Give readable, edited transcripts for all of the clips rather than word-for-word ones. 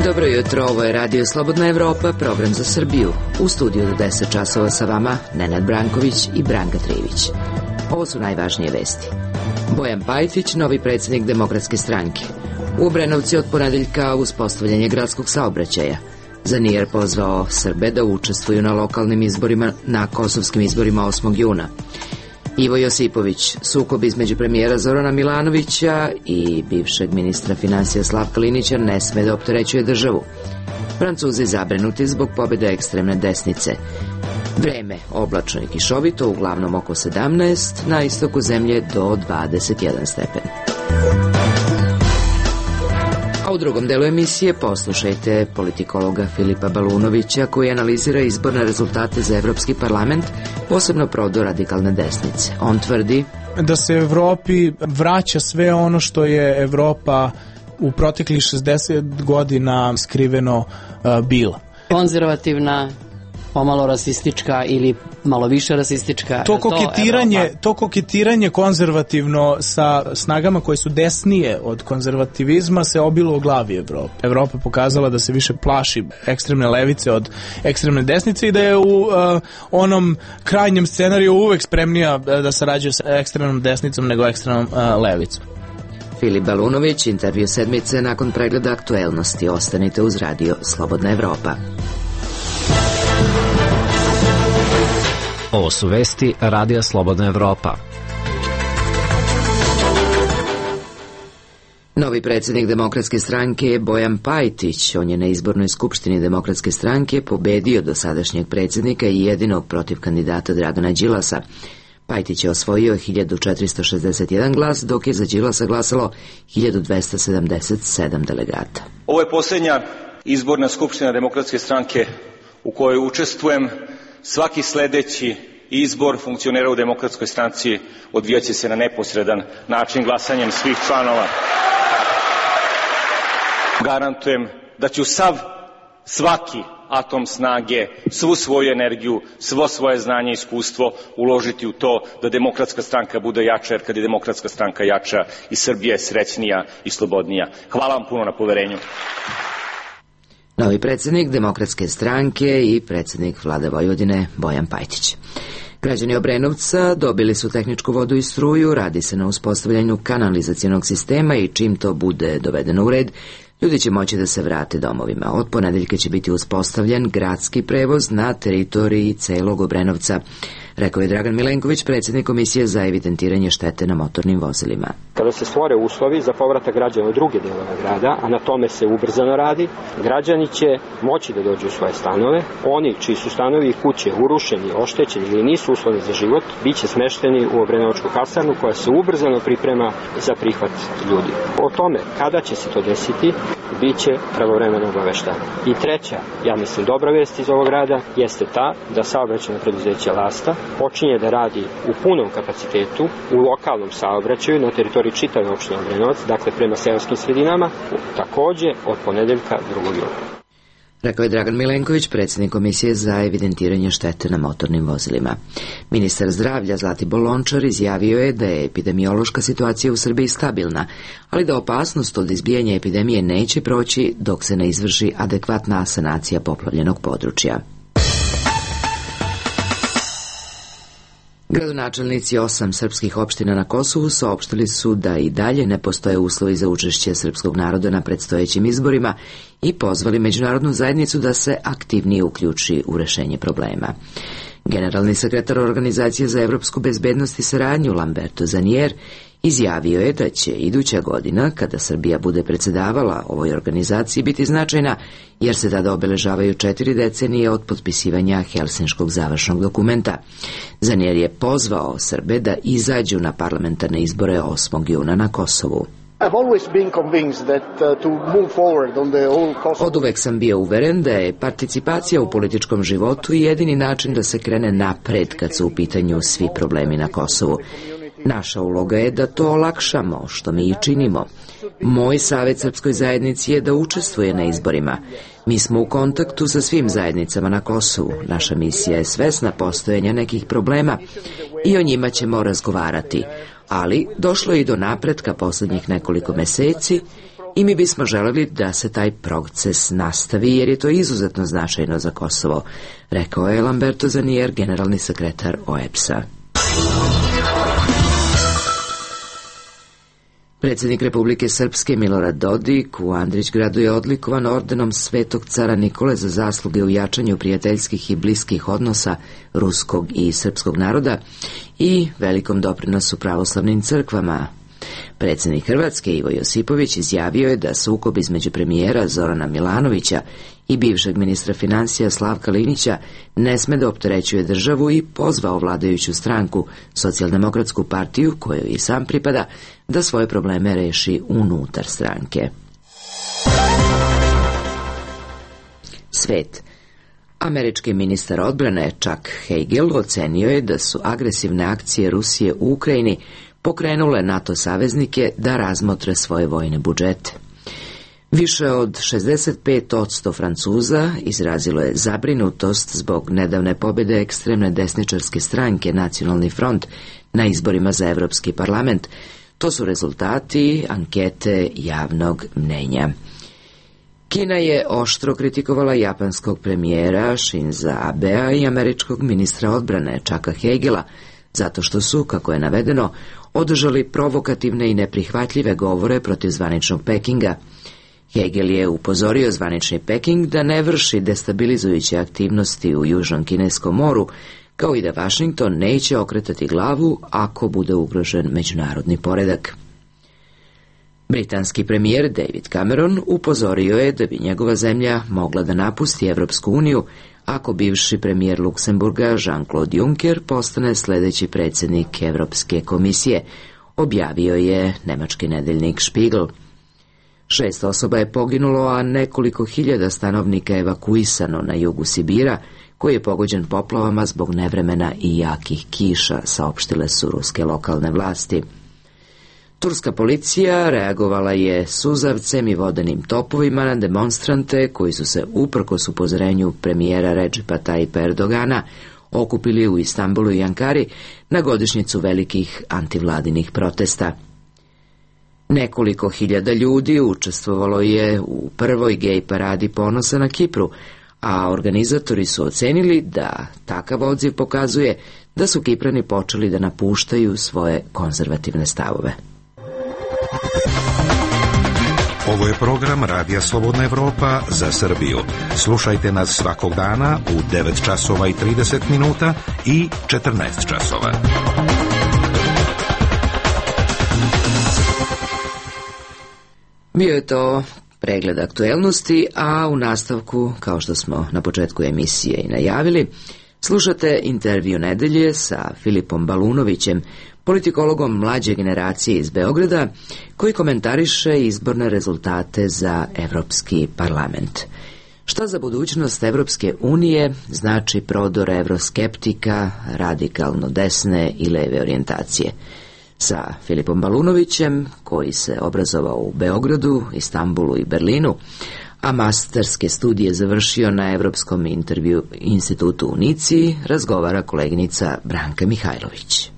Dobro jutro, ovo je Radio Slobodna Evropa, program za Srbiju. U studiju do 10 časova sa vama Nenad Branković i Branka Trivić. Ovo su najvažnije vesti. Bojan Pajtić, novi predsjednik Demokratske stranke. U Obrenovci od ponedeljka uspostavljanje gradskog saobraćaja. Zanijer pozvao Srbe da učestvuju na lokalnim izborima, na kosovskim izborima 8. juna. Ivo Josipović, sukob između premijera Zorana Milanovića i bivšeg ministra financija Slavka Linića ne sme da opterećuje državu. Francuzi zabrinuti zbog pobjede ekstremne desnice. Vreme oblačno i kišovito, uglavnom oko 17, na istoku zemlje do 21 stepen. A u drugom delu emisije poslušajte politikologa Filipa Balunovića koji analizira izborne rezultate za Evropski parlament, posebno prodor radikalne desnice. On tvrdi da se Evropi vraća sve ono što je Evropa u proteklih 60 godina skriveno bila. Konzervativna, pomalo rasistička ili malo više rasistička. To koketiranje konzervativno sa snagama koje su desnije od konzervativizma se obilo u glavi Evrope. Evropa pokazala da se više plaši ekstremne levice od ekstremne desnice i da je u onom krajnjem scenariju uvek spremnija da sarađuje sa ekstremnom desnicom nego ekstremnom levicom. Filip Balunović, intervju sedmice nakon pregleda aktuelnosti. Ostanite uz Radio Slobodna Evropa. Ovo su vesti Radija Slobodna Evropa. Novi predsjednik Demokratske stranke je Bojan Pajtić. On je na izbornoj skupštini Demokratske stranke pobedio dosadašnjeg predsjednika i jedinog protiv kandidata Dragana Đilasa. Pajtić je osvojio 1461 glas, dok je za Đilasa glasalo 1277 delegata. Ovo je posljednja izborna skupština Demokratske stranke u kojoj učestvujem. Svaki sledeći izbor funkcionera u Demokratskoj stranci odvijaće se na neposredan način glasanjem svih članova. Garantujem da ću svaki atom snage, svu svoju energiju, svo svoje znanje i iskustvo uložiti u to da Demokratska stranka bude jača, jer kad je Demokratska stranka jača i Srbija je srećnija i slobodnija. Hvala vam puno na poverenju. Novi predsjednik Demokratske stranke i predsjednik Vlade Vojvodine Bojan Pajtić. Građani Obrenovca dobili su tehničku vodu i struju, radi se na uspostavljanju kanalizacionog sistema i čim to bude dovedeno u red, ljudi će moći da se vrate domovima. Od ponedeljka će biti uspostavljen gradski prevoz na teritoriji celog Obrenovca, rekao je Dragan Milenković, predsjednik Komisije za evidentiranje štete na motornim vozilima. Kada se stvore uslovi za povratak građana u druge delove grada, a na tome se ubrzano radi, građani će moći da dođu u svoje stanove. Oni čiji su stanovi i kuće urušeni, oštećeni ili nisu uslovni za život, bit će smešteni u Obrenovačku kasarnu koja se ubrzano priprema za prihvat ljudi. O tome kada će se to desiti, bit će pravovremeno obaveštavanje. I treća, ja mislim dobra vest iz ovog rada, jeste ta da saobraćajno preduzeće Lasta počinje da radi u punom kapacitetu u lokalnom saobraćaju na teritoriji čitave opštine Obrenovac, dakle prema seoskim sredinama, takođe od ponedeljka 2. juna. Rekao je Dragan Milenković, predsjednik Komisije za evidentiranje štete na motornim vozilima. Ministar zdravlja Zlatibor Lončar izjavio je da je epidemiološka situacija u Srbiji stabilna, ali da opasnost od izbijanja epidemije neće proći dok se ne izvrši adekvatna sanacija poplavljenog područja. Gradonačelnici 8 srpskih opština na Kosovu saopštili su da i dalje ne postoje uslovi za učešće srpskog naroda na predstojećim izborima i pozvali međunarodnu zajednicu da se aktivnije uključi u rešenje problema. Generalni sekretar Organizacije za evropsku bezbednost i saradnju Lamberto Zanijer izjavio je da će iduća godina, kada Srbija bude predsedavala ovoj organizaciji, biti značajna, jer se tada obeležavaju 4 decenije od potpisivanja Helsinškog završnog dokumenta. Zanijer je pozvao Srbe da izađu na parlamentarne izbore 8. juna na Kosovu. Oduvek sam bio uveren da je participacija u političkom životu jedini način da se krene napred kad su u pitanju svi problemi na Kosovu. Naša uloga je da to olakšamo, što mi i činimo. Moj savjet srpskoj zajednici je da učestvuje na izborima. Mi smo u kontaktu sa svim zajednicama na Kosovu. Naša misija je svesna postojanja nekih problema i o njima ćemo razgovarati. Ali došlo je i do napretka poslednjih nekoliko meseci i mi bismo želeli da se taj proces nastavi, jer je to izuzetno značajno za Kosovo, rekao je Lamberto Zanier, generalni sekretar OEBS-a. Predsjednik Republike Srpske Milorad Dodik u Andrićgradu je odlikovan ordenom Svetog cara Nikole za zasluge u jačanju prijateljskih i bliskih odnosa ruskog i srpskog naroda i velikom doprinosu pravoslavnim crkvama. Predsjednik Hrvatske Ivo Josipović izjavio je da sukob između premijera Zorana Milanovića i bivšeg ministra financija Slavka Linića ne sme da opterećuje državu i pozvao vladajuću stranku, Socijaldemokratsku partiju, kojoj i sam pripada, da svoje probleme reši unutar stranke. Svet. Američki ministar odbrane Chuck Hagel ocenio je da su agresivne akcije Rusije u Ukrajini pokrenule NATO saveznike da razmotre svoje vojne budžete. Više od 65% Francuza izrazilo je zabrinutost zbog nedavne pobjede ekstremne desničarske stranke Nacionalni front na izborima za Evropski parlament. To su rezultati ankete javnog mnenja. Kina je oštro kritikovala japanskog premijera Shinza Abea i američkog ministra odbrane Chucka Hagela, zato što su, kako je navedeno, održali provokativne i neprihvatljive govore protiv zvaničnog Pekinga. Hagel je upozorio zvanični Peking da ne vrši destabilizujuće aktivnosti u Južnom Kineskom moru, kao i da Vašington neće okretati glavu ako bude ugrožen međunarodni poredak. Britanski premijer David Cameron upozorio je da bi njegova zemlja mogla da napusti Evropsku uniju ako bivši premijer Luksemburga Jean-Claude Juncker postane sljedeći predsjednik Evropske komisije, objavio je nemački nedeljnik Spiegel. 6 osoba je poginulo, a nekoliko hiljada stanovnika evakuisano na jugu Sibira, koji je pogođen poplavama zbog nevremena i jakih kiša, saopštile su ruske lokalne vlasti. Turska policija reagovala je suzavcem i vodenim topovima na demonstrante koji su se uprkos upozorenju premijera Recepa Tayyipa Erdogana okupili u Istanbulu i Ankari na godišnjicu velikih antivladinih protesta. Nekoliko hiljada ljudi učestvovalo je u prvoj gej paradi ponosa na Kipru, a organizatori su ocenili da takav odziv pokazuje da su Kiprani počeli da napuštaju svoje konzervativne stavove. Ovo je program Radija Slobodna Evropa za Srbiju. Slušajte nas svakog dana u 9 časova i 30 minuta i 14 časova. Bio je to pregled aktuelnosti, a u nastavku, kao što smo na početku emisije i najavili, slušate intervju nedelje sa Filipom Balunovićem, politikologom mlađe generacije iz Beograda, koji komentariše izborne rezultate za Evropski parlament. Šta za budućnost Evropske unije znači prodor evroskeptika, radikalno desne i leve orijentacije? Sa Filipom Balunovićem, koji se obrazovao u Beogradu, Istanbulu i Berlinu, a masterske studije završio na Evropskom intervju institutu u Nici, razgovara koleginica Branka Mihajlović.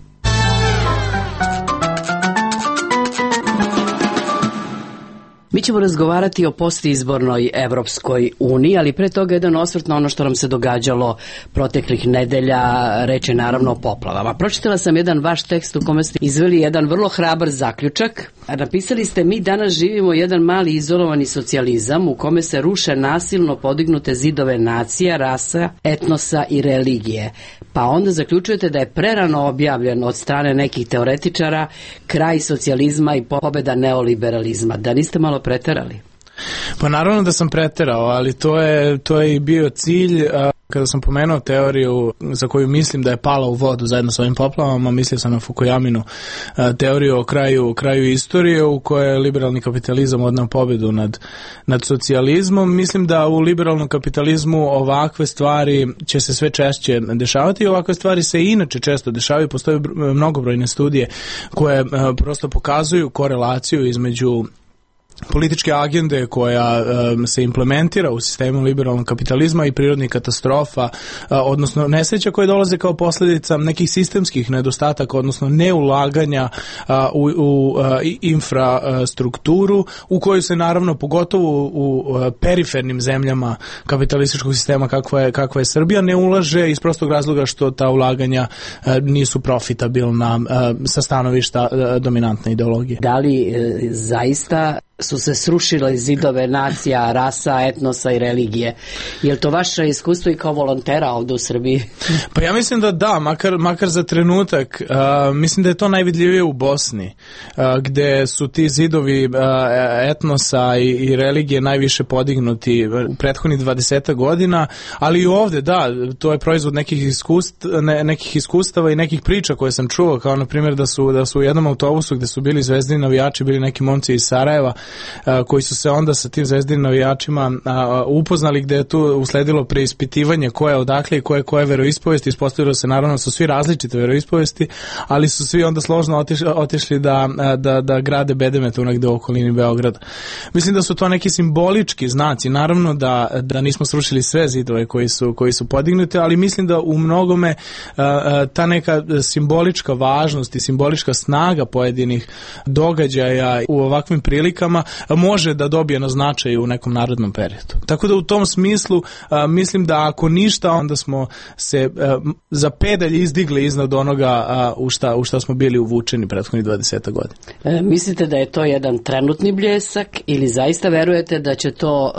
Mi ćemo razgovarati o postizbornoj Evropskoj uniji, ali pre toga jedan osvrt na ono što nam se događalo proteklih nedelja, reč je naravno o poplavama. Pročitala sam jedan vaš tekst u kome ste izveli jedan vrlo hrabar zaključak. Napisali ste: mi danas živimo jedan mali izolovani socijalizam u kome se ruše nasilno podignute zidove nacija, rasa, etnosa i religije. Pa onda zaključujete da je prerano objavljen od strane nekih teoretičara kraj socijalizma i pobeda neoliberalizma. Da niste malo preterali? Pa naravno da sam preterao, ali to je i bio cilj. Kada sam pomenuo teoriju za koju mislim da je pala u vodu zajedno sa ovim poplavama, mislio sam na Fukuyaminu teoriju o kraju istorije u kojoj je liberalni kapitalizam odneo pobedu nad socijalizmom. Mislim da u liberalnom kapitalizmu ovakve stvari će se sve češće dešavati i ovakve stvari se i inače često dešavaju. Postoje mnogobrojne studije koje prosto pokazuju korelaciju između političke agende koja se implementira u sistemu liberalnog kapitalizma i prirodnih katastrofa, odnosno nesreća koje dolaze kao posljedica nekih sistemskih nedostataka, odnosno neulaganja u infrastrukturu, u kojoj se naravno pogotovo u perifernim zemljama kapitalističkog sistema kakva je Srbija ne ulaže iz prostog razloga što ta ulaganja nisu profitabilna sa stanovišta dominantne ideologije. Da li zaista su se srušile zidove nacija, rasa, etnosa i religije? Je li to vaše iskustvo i kao volontera ovdje u Srbiji? Pa ja mislim da, makar za trenutak. Mislim da je to najvidljivije u Bosni, gde su ti zidovi etnosa i religije najviše podignuti u prethodnih 20 godina, ali i ovdje, da, to je proizvod nekih iskustava i nekih priča koje sam čuo, kao na primjer da su u jednom autobusu gde su bili zvezdini navijači, bili neki momci iz Sarajeva, koji su se onda sa tim zvezdinim navijačima upoznali, gde je tu usledilo preispitivanje ko je odakle i koje veroispovesti. Ispostavilo se naravno su svi različite veroispovesti, ali su svi onda složno otišli da grade bedemetu negde u okolini Beograda. Mislim da su to neki simbolički znaci, naravno da nismo srušili sve zidove koji su podignuti, ali mislim da u mnogome ta neka simbolička važnost i simbolička snaga pojedinih događaja u ovakvim prilikama može da dobije na značaju u nekom narodnom periodu. Tako da u tom smislu mislim da ako ništa, onda smo se za pedalj izdigli iznad onoga u šta smo bili uvučeni prethodnih 20 godina. Mislite da je to jedan trenutni bljesak ili zaista verujete da će to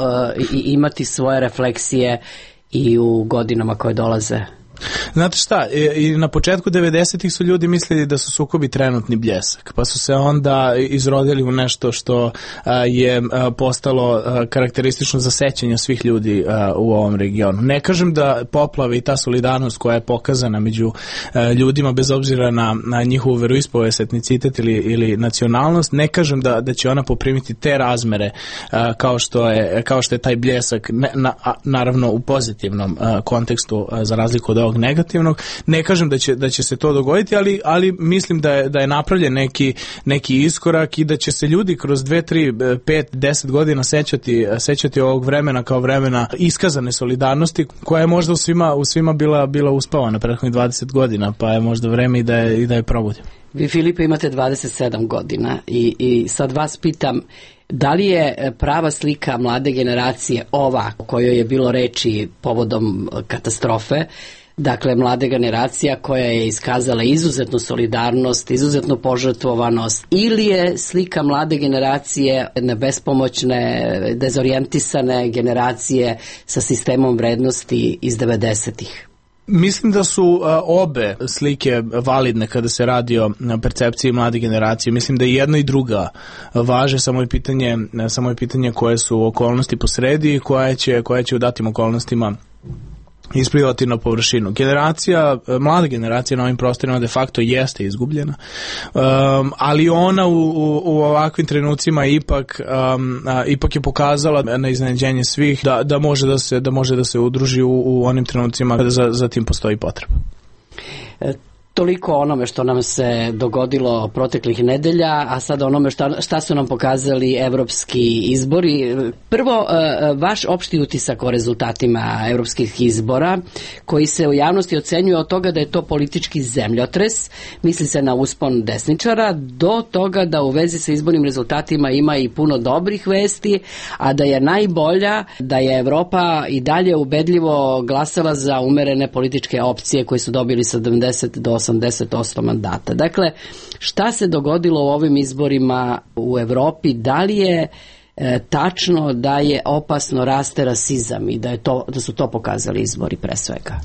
imati svoje refleksije i u godinama koje dolaze? Znate šta, i na početku 90-ih su ljudi mislili da su sukobi trenutni bljesak, pa su se onda izrodili u nešto što je postalo karakteristično za sećanje svih ljudi u ovom regionu. Ne kažem da poplave i ta solidarnost koja je pokazana među ljudima bez obzira na njihovu veroispovest, etnicitet ili nacionalnost, ne kažem da će ona poprimiti te razmere kao što je taj bljesak, naravno u pozitivnom kontekstu za razliku od ovog negativnog. Ne kažem da će se to dogoditi, ali mislim da je napravljen neki iskorak i da će se ljudi kroz 2, 3, 5, 10 godina sećati ovog vremena kao vremena iskazane solidarnosti koja je možda u svima bila uspavana prethodnih 20 godina, pa je možda vreme i da je probudimo. Vi, Filipe, imate 27 godina i sad vas pitam, da li je prava slika mlade generacije ova o kojoj je bilo reči povodom katastrofe, dakle mlada generacija koja je iskazala izuzetnu solidarnost, izuzetnu požrtvovanost, ili je slika mlade generacije bespomoćne, dezorijentisane generacije sa sistemom vrednosti iz 90-ih? Mislim da su obe slike validne kada se radi o percepciji mlade generacije. Mislim da i jedna i druga važe, samo je pitanje koje su okolnosti posredi i koja će u datim okolnostima isplivati na površinu. Mlada generacija na ovim prostorima de facto jeste izgubljena, ali ona u ovakvim trenucima ipak je pokazala na iznenađenje svih da može da se udruži u onim trenucima kada za tim postoji potreba. Toliko o onome što nam se dogodilo proteklih nedelja, a sad onome šta su nam pokazali evropski izbori. Prvo, vaš opšti utisak o rezultatima evropskih izbora, koji se u javnosti ocenjuje od toga da je to politički zemljotres, misli se na uspon desničara, do toga da u vezi sa izbornim rezultatima ima i puno dobrih vesti, a da je najbolja da je Evropa i dalje ubedljivo glasala za umerene političke opcije koji su dobili 70 do 80% mandata. Dakle, šta se dogodilo u ovim izborima u Evropi? Da li je tačno da je opasno raste rasizam i da su to pokazali izbori pre svega?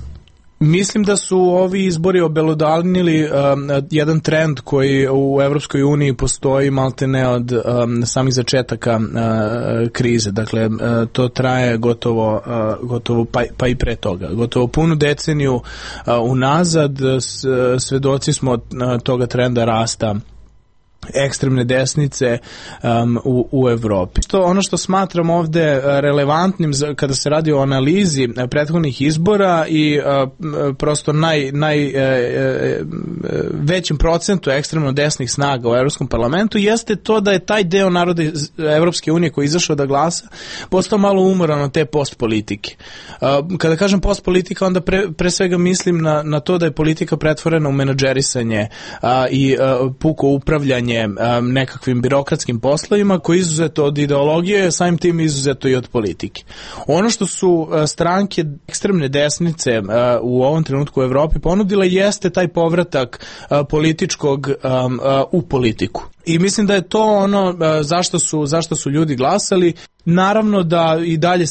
Mislim da su ovi izbori obelodanili jedan trend koji u Evropskoj uniji postoji maltene od samih začetaka krize. Dakle, to traje gotovo pa i pre toga. Gotovo punu deceniju unazad svedoci smo toga trenda rasta ekstremne desnice u Evropi. Ono što smatram ovde relevantnim kada se radi o analizi prethodnih izbora i prosto većem procentu ekstremno desnih snaga u Evropskom parlamentu jeste to da je taj deo naroda Evropske unije koji je izašao da glasa postao malo umoran od te postpolitike. Kada kažem postpolitika, onda pre svega mislim na to da je politika pretvorena u menadžerisanje i puko upravljanje nekakvim birokratskim poslovima koji je izuzeto od ideologije, samim tim izuzeto i od politike. Ono što su stranke ekstremne desnice u ovom trenutku u Evropi ponudile jeste taj povratak političkog u politiku. I mislim da je to ono zašto su ljudi glasali. Naravno da i dalje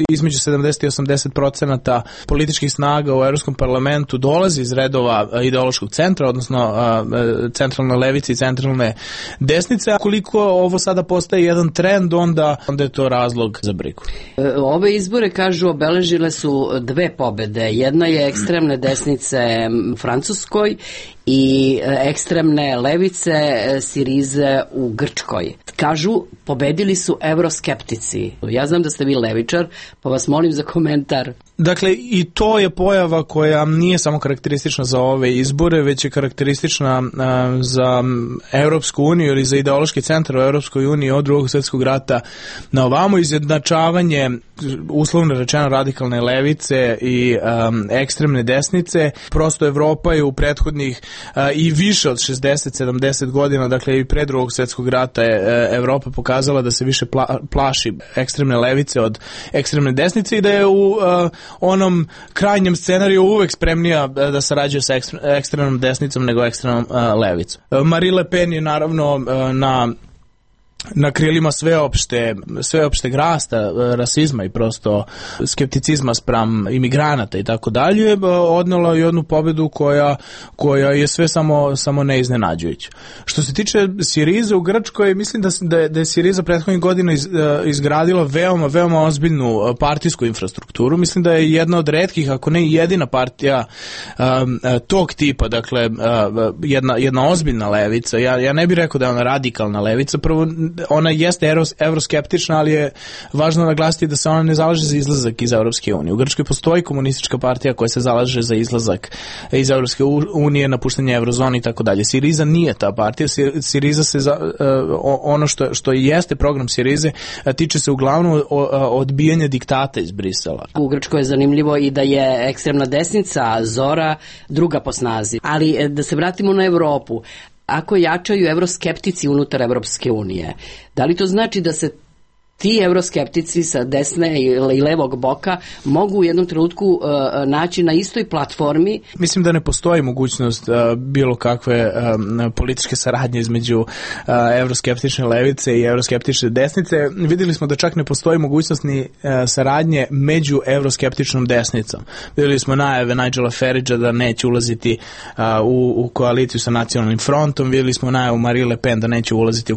između 70 i 80% političkih snaga u Evropskom parlamentu dolazi iz redova ideološkog centra, odnosno centralne levice i centralne desnice. A koliko ovo sada postaje jedan trend, onda je to razlog za brigu. Ove izbore, kažu, obeležile su dve pobede. Jedna je ekstremne desnice Francuskoj i ekstremne levice Sirize u Grčkoj. Kažu, pobedili su evroskeptici. Ja znam da ste vi levičar, pa vas molim za komentar. Dakle, i to je pojava koja nije samo karakteristična za ove izbore, već je karakteristična za Evropsku uniju ili za ideološki centar u Evropskoj uniji od Drugog svjetskog rata na ovamo. Izjednačavanje, uslovno rečeno, radikalne levice i ekstremne desnice. Prosto Evropa je u prethodnih i više od 60-70 godina, dakle i pre Drugog svjetskog rata je Evropa pokazala da se više plaši ekstremne levice od ekstremne desnice i da je u onom krajnjem scenariju uvek spremnija da sarađuje sa ekstremnom desnicom nego ekstremnom levicom. Marine Le Pen je naravno na krilima sveopšteg rasta, rasizma i prosto skepticizma spram imigranata i tako dalje, odnela jednu pobedu koja je sve samo neiznenađujuća. Što se tiče Sirize u Grčkoj, mislim da je Siriza prethodnih godina izgradila veoma ozbiljnu partijsku infrastrukturu. Mislim da je jedna od retkih, ako ne jedina partija tog tipa, dakle jedna ozbiljna levica. Ja ne bih rekao da je ona radikalna levica, prvo ona jeste evroskeptična, ali je važno naglasiti da se ona ne zalaže za izlazak iz Evropske unije. U Grčkoj postoji komunistička partija koja se zalaže za izlazak iz Evropske unije, napuštanje eurozone i tako dalje. Siriza nije ta partija. Siriza se ono što jeste program Sirize tiče se uglavnom odbijanja diktata iz Brisela. U Grčkoj je zanimljivo i da je ekstremna desnica Zora druga po snazi. Ali da se vratimo na Evropu. Ako jačaju evroskeptici unutar Evropske unije, da li to znači da se ti evroskeptici sa desne i levog boka mogu u jednom trenutku naći na istoj platformi? Mislim da ne postoji mogućnost bilo kakve političke saradnje između evroskeptične levice i evroskeptične desnice. Vidjeli smo da čak ne postoji mogućnost ni saradnje među evroskeptičnom desnicom. Vidjeli smo najave Nigela Faragea da neće ulaziti u koaliciju sa Nacionalnim frontom. Vidjeli smo najavu Marine Le Pen da neće ulaziti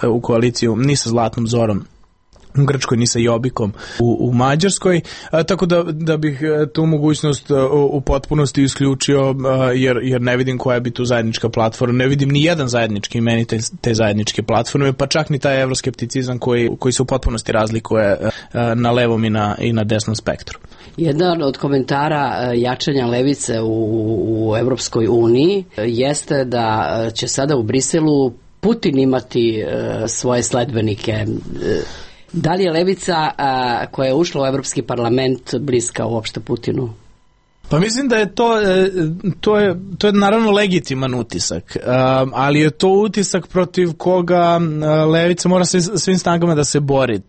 u koaliciju ni sa Zlatnom Zorom u Grčkoj, ni sa Jobbikom u Mađarskoj, tako da bih tu mogućnost u potpunosti isključio, jer ne vidim koja bi tu zajednička platforma, ne vidim ni jedan zajednički imenitelj te zajedničke platforme, pa čak ni taj evroskepticizam koji se u potpunosti razlikuje na levom i na desnom spektru. Jedan od komentara jačanja levice u Evropskoj uniji jeste da će sada u Briselu Putin imati svoje sledbenike. Da li je levica koja je ušla u Evropski parlament bliska uopšte Putinu? Pa mislim da je to je naravno legitiman utisak, ali je to utisak protiv koga levica mora svim snagama da se bori.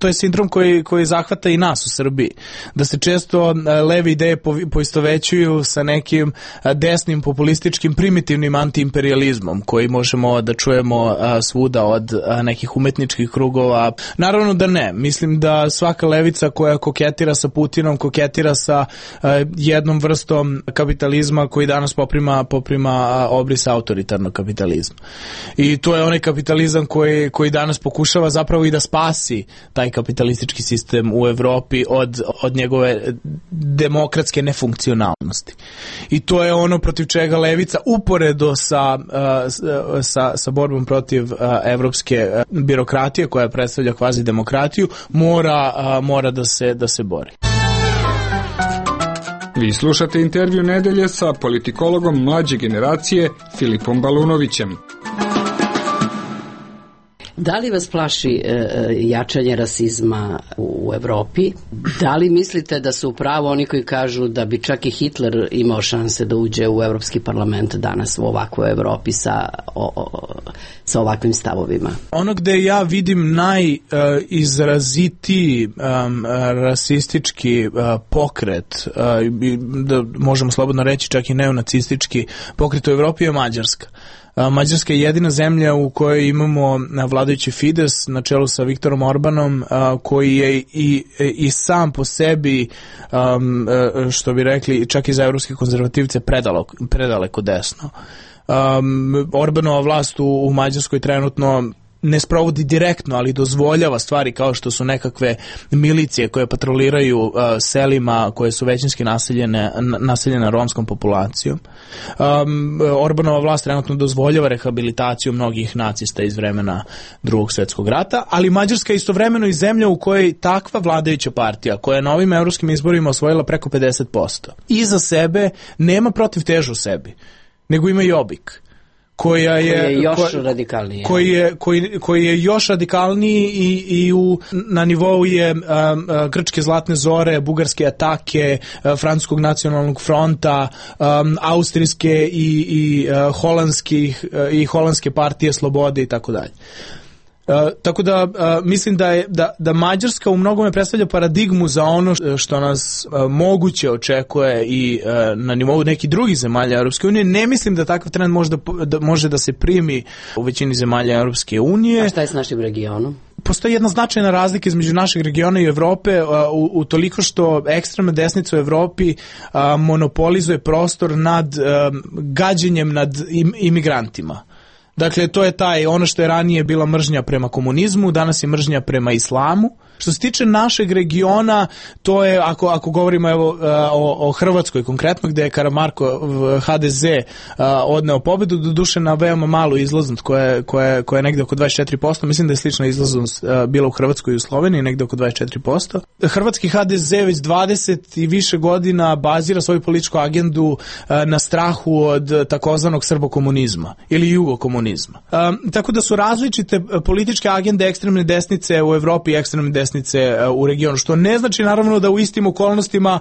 To je sindrom koji zahvata i nas u Srbiji. Da se često leve ideje poistovećuju sa nekim desnim, populističkim, primitivnim antiimperializmom koji možemo da čujemo svuda od nekih umetničkih krugova. Naravno da ne. Mislim da svaka levica koja koketira sa Putinom, koketira sa jednom vrstom kapitalizma koji danas poprima obris autoritarnog kapitalizma. I to je onaj kapitalizam koji danas pokušava zapravo i da spasi taj kapitalistički sistem u Evropi od njegove demokratske nefunkcionalnosti. I to je ono protiv čega levica uporedo sa borbom protiv evropske birokratije koja predstavlja kvazi demokratiju mora da se bori. Vi slušate intervju nedelje sa politikologom mlađe generacije Filipom Balunovićem. Da li vas plaši jačanje rasizma u Evropi? Da li mislite da su upravo oni koji kažu da bi čak i Hitler imao šanse da uđe u Evropski parlament danas u ovakvoj Evropi sa ovakvim stavovima? Ono gde ja vidim najizrazitiji rasistički pokret, da možemo slobodno reći čak i neonacistički pokret u Evropi je Mađarska. Mađarska je jedina zemlja u kojoj imamo vladajući Fides na čelu sa Viktorom Orbanom, koji je i sam po sebi, što bi rekli, čak i za evropske konzervativce predaleko desno. Orbanova vlast u Mađarskoj trenutno ne sprovodi direktno, ali dozvoljava stvari kao što su nekakve milicije koje patroliraju selima koje su većinski naseljene romskom populacijom. Orbanova vlast trenutno dozvoljava rehabilitaciju mnogih nacista iz vremena Drugog svjetskog rata, ali Mađarska je istovremeno i zemlja u kojoj takva vladajuća partija, koja je na ovim evropskim izborima osvojila preko 50%, iza sebe nema protiv težu sebi, nego ima Jobbik, koji je još radikalniji i na nivou je grčke zlatne zore, bugarske atake, francuskog nacionalnog fronta, austrijske i holandske partije slobode i tako dalje. Tako da mislim da Mađarska u mnogome predstavlja paradigmu za ono što nas moguće očekuje i na nivou nekih drugih zemalja Europske unije. Ne mislim da takav trend može da se primi u većini zemalja Europske unije. A šta je s našim regionom? Postoji jedna značajna razlika između našeg regiona i Evrope u toliko što ekstremna desnica u Evropi monopolizuje prostor nad gađenjem nad imigrantima. Dakle, to je ono što je ranije bila mržnja prema komunizmu, danas je mržnja prema islamu. Što se tiče našeg regiona, to je, ako govorimo o Hrvatskoj konkretno, gde je Karamarko HDZ odneo pobedu, doduše na veoma malu izlaznost koja je negde oko 24%, mislim da je slična izlaznost bila u Hrvatskoj i u Sloveniji, negde oko 24%. Hrvatski HDZ već 20 i više godina bazira svoju političku agendu na strahu od takozvanog srbokomunizma ili jugokomunizma. Tako da su različite političke agende ekstremne desnice u Evropi i ekstremne desnice u regionu, što ne znači naravno da u istim okolnostima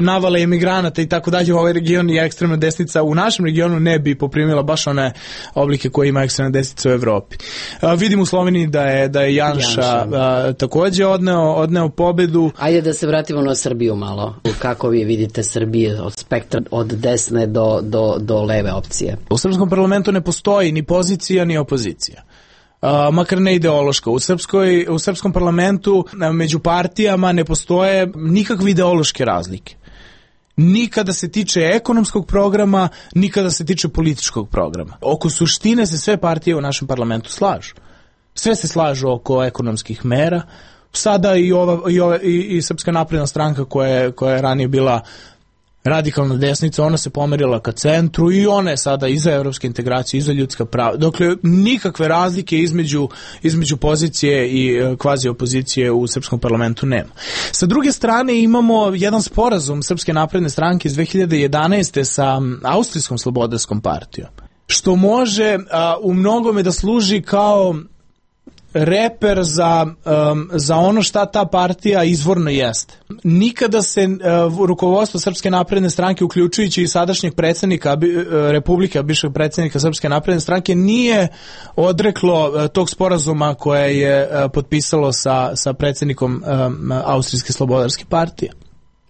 navale emigranata i tako dalje u ovaj region i ekstremna desnica u našem regionu ne bi poprimila baš one oblike koje ima ekstremna desnica u Evropi. Vidim u Sloveniji da je Janša takođe odneo pobedu. Ajde da se vratimo na Srbiju malo. Kako vi vidite Srbije od spektra od desne do leve opcije? U srpskom parlamentu ne postoji ni pozicija ni opozicija. Makar ne ideološka. U srpskom parlamentu među partijama ne postoje nikakve ideološke razlike. Nikada se tiče ekonomskog programa, nikada se tiče političkog programa. Oko suštine se sve partije u našem parlamentu slažu. Sve se slažu oko ekonomskih mera. Sada i Srpska napredna stranka koja je ranije bila radikalna desnica, ona se pomerila ka centru i ona je sada i za evropske integracije i za ljudska prava. Dakle, nikakve razlike između pozicije i kvazi opozicije u srpskom parlamentu nema. Sa druge strane imamo jedan sporazum Srpske napredne stranke iz 2011. sa Austrijskom slobodarskom partijom, što može u mnogome da služi kao reper za ono šta ta partija izvorno jeste. Nikada se rukovodstvo Srpske napredne stranke, uključujući i sadašnjeg predsjednika Republike, bivšeg predsjednika Srpske napredne stranke, nije odreklo tog sporazuma koje je potpisalo sa predsjednikom Austrijske slobodarske partije.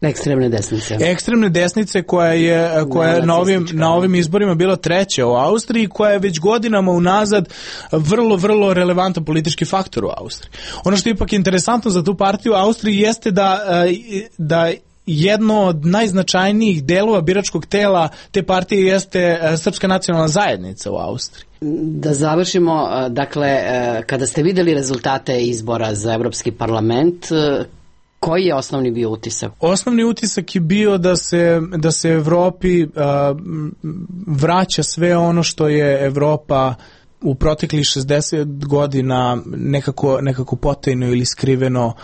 Ekstremne desnice. Ekstremne desnice koja je na ovim izborima bila treća u Austriji, koja je već godinama unazad vrlo, vrlo relevantan politički faktor u Austriji. Ono što je ipak interesantno za tu partiju u Austriji jeste da jedno od najznačajnijih delova biračkog tela te partije jeste Srpska nacionalna zajednica u Austriji. Da završimo, dakle, kada ste videli rezultate izbora za Evropski parlament, koji je osnovni bio utisak? Osnovni utisak je bio da se Evropi vraća sve ono što je Evropa u proteklih 60 godina nekako potajno ili skriveno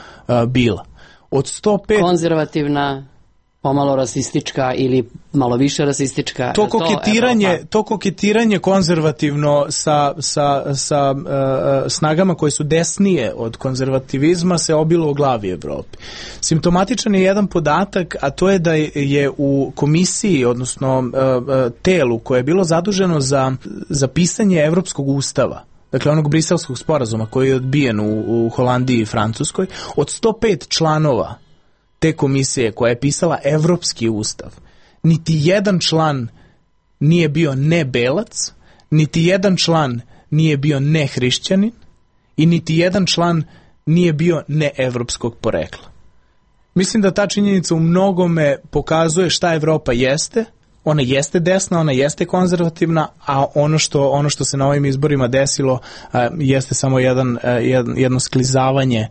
bila. Od 105... Konzervativna, pomalo rasistička ili malo više rasistička. To koketiranje konzervativno sa snagama koje su desnije od konzervativizma se obilo u glavi Evropi. Simptomatičan je jedan podatak, a to je da je u komisiji, odnosno telu koje je bilo zaduženo za pisanje Evropskog ustava, dakle onog briselskog sporazuma koji je odbijen u Holandiji i Francuskoj, od 105 članova te komisije koja je pisala Evropski ustav, niti jedan član nije bio ne belac, niti jedan član nije bio ne hrišćanin i niti jedan član nije bio ne evropskog porekla. Mislim da ta činjenica u mnogome pokazuje šta Evropa jeste. Ona jeste desna, ona jeste konzervativna, a ono što se na ovim izborima desilo jeste samo jedno sklizavanje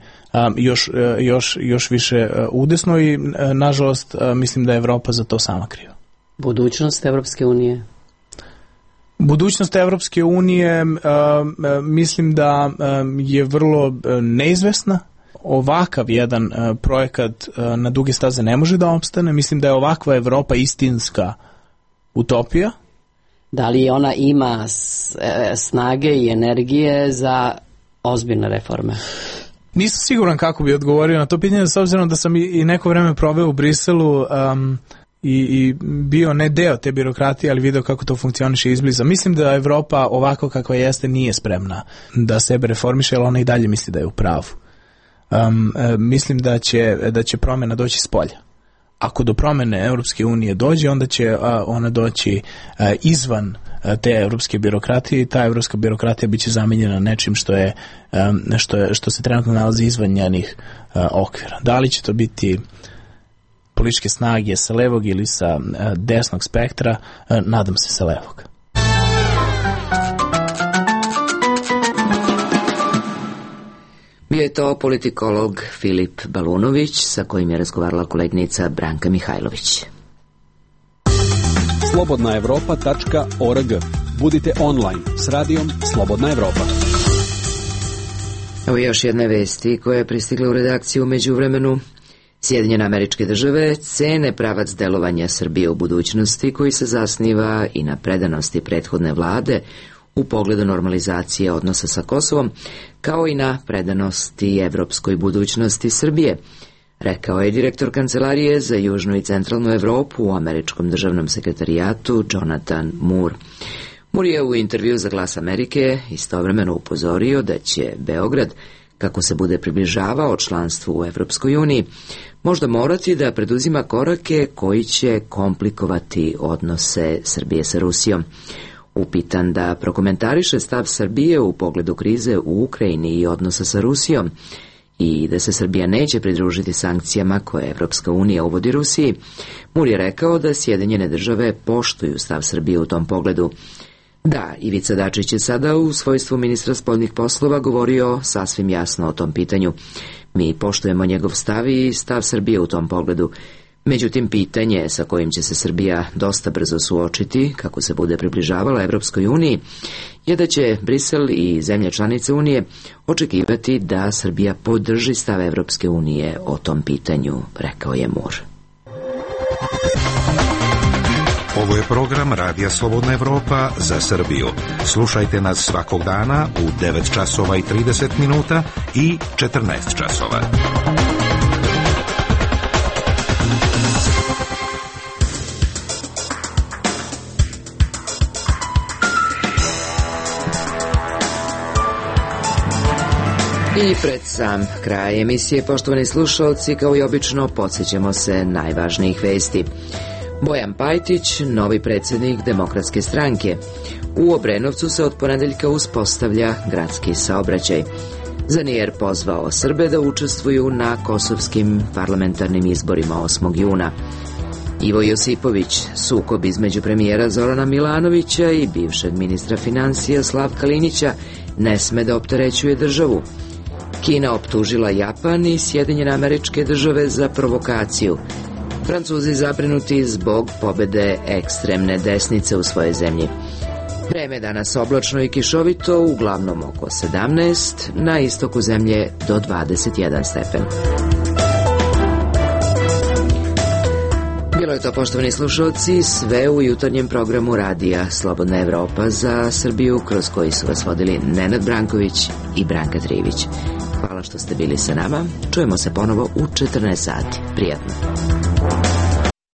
još više udesno i nažalost mislim da je Evropa za to sama kriva. Budućnost Evropske unije? Budućnost Evropske unije mislim da je vrlo neizvesna. Ovakav jedan projekat na duge staze ne može da opstane. Mislim da je ovakva Evropa istinska utopija. Da li ona ima snage i energije za ozbiljne reforme? Nisam siguran kako bi odgovorio na to pitanje, s obzirom da sam i neko vreme proveo u Briselu i bio ne deo te birokratije, ali video kako to funkcioniše izbliza. Mislim da Evropa ovako kakva jeste nije spremna da sebe reformiše, ali ona i dalje misli da je u pravu. Mislim da će promjena doći s polja. Ako do promjene Europske unije dođe, onda će ona doći izvan te evropske birokratije i ta evropska birokratija biće zamenjena nečim što se trenutno nalazi izvan njenih okvira. Da li će to biti političke snage sa levog ili sa desnog spektra, nadam se sa levog. Bio je to politikolog Filip Balunović, sa kojim je razgovarala kolegnica Branka Mihajlović. slobodnaevropa.org. Budite online s radijom Slobodna Evropa. Evo još jedne vesti koja je pristigla u redakciju umeđu vremenu. Sjedinjene Američke Države cene pravac delovanja Srbije u budućnosti koji se zasniva i na predanosti prethodne vlade u pogledu normalizacije odnosa sa Kosovom, kao i na predanosti evropskoj budućnosti Srbije, rekao je direktor Kancelarije za južnu i centralnu Evropu u Američkom državnom sekretarijatu Jonathan Moore. Moore je u intervju za Glas Amerike istovremeno upozorio da će Beograd, kako se bude približavao članstvu u Evropskoj uniji, možda morati da preduzima korake koji će komplikovati odnose Srbije sa Rusijom. Upitan da prokomentariše stav Srbije u pogledu krize u Ukrajini i odnosa sa Rusijom i da se Srbija neće pridružiti sankcijama koje Evropska unija uvodi Rusiji, Moore je rekao da Sjedinjene Države poštuju stav Srbije u tom pogledu. Da, Ivica Dačić je sada u svojstvu ministra spoljnih poslova govorio sasvim jasno o tom pitanju. Mi poštujemo njegov stav i stav Srbije u tom pogledu. Međutim, pitanje sa kojim će se Srbija dosta brzo suočiti, kako se bude približavala Evropskoj uniji, je da će Brisel i zemlje članice Unije očekivati da Srbija podrži stav Evropske unije o tom pitanju, rekao je Moore. Ovo je program Radija Slobodna Evropa za Srbiju. Slušajte nas svakog dana u 9 časova i 30 minuta i 14 časova. I pred sam kraj emisije, poštovani slušalci, kao i obično, podsjećamo se najvažnijih vesti. Bojan Pajtić, novi predsjednik Demokratske stranke. U Obrenovcu se od ponedeljka uspostavlja gradski saobraćaj. Zanijer pozvao Srbe da učestvuju na kosovskim parlamentarnim izborima 8. juna. Ivo Josipović, sukob između premijera Zorana Milanovića i bivšeg ministra financija Slavka Linića ne sme da opterećuje državu. Kina optužila Japan i Sjedinjene Američke Države za provokaciju. Francuzi zabrinuti zbog pobede ekstremne desnice u svojoj zemlji. Vreme danas oblačno i kišovito, uglavnom oko 17, na istoku zemlje do 21 stepen. Bilo je to, poštovani slušalci, sve u jutarnjem programu radija Slobodna Evropa za Srbiju, kroz koji su vas vodili Nenad Branković i Branka Trivić. Hvala što ste bili sa nama. Čujemo se ponovo u 14 sati. Prijatno.